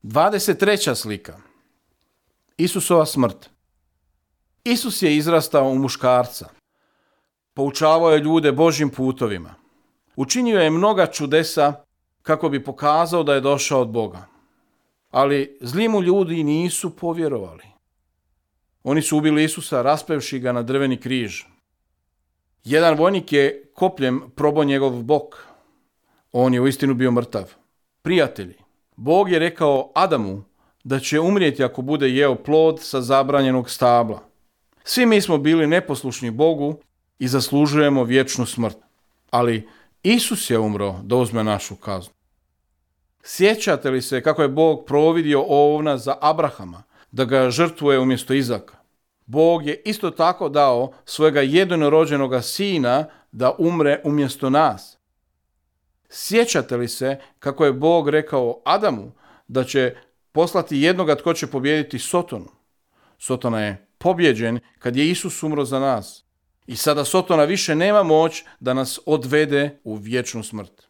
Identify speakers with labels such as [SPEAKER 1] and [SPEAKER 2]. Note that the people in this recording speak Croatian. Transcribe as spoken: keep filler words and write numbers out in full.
[SPEAKER 1] dvadeset treća slika. Isusova smrt. Isus je izrastao u muškarca. Poučavao je ljude Božjim putovima. Učinio je mnoga čudesa kako bi pokazao da je došao od Boga. Ali zli mu ljudi nisu povjerovali. Oni su ubili Isusa raspevši ga na drveni križ. Jedan vojnik je kopljem probao njegov bok. On je uistinu bio mrtav. Prijatelji, Bog je rekao Adamu da će umrijeti ako bude jeo plod sa zabranjenog stabla. Svi mi smo bili neposlušni Bogu i zaslužujemo vječnu smrt. Ali Isus je umro da uzme našu kaznu. Sjećate li se kako je Bog providio ovna za Abrahama, da ga žrtvuje umjesto Izaka? Bog je isto tako dao svojega jedinorođenoga sina da umre umjesto nas. Sjećate li se kako je Bog rekao Adamu da će poslati jednoga tko će pobijediti Sotonu? Sotona je pobjeđen kad je Isus umro za nas. I sada Sotona više nema moć da nas odvede u vječnu smrt.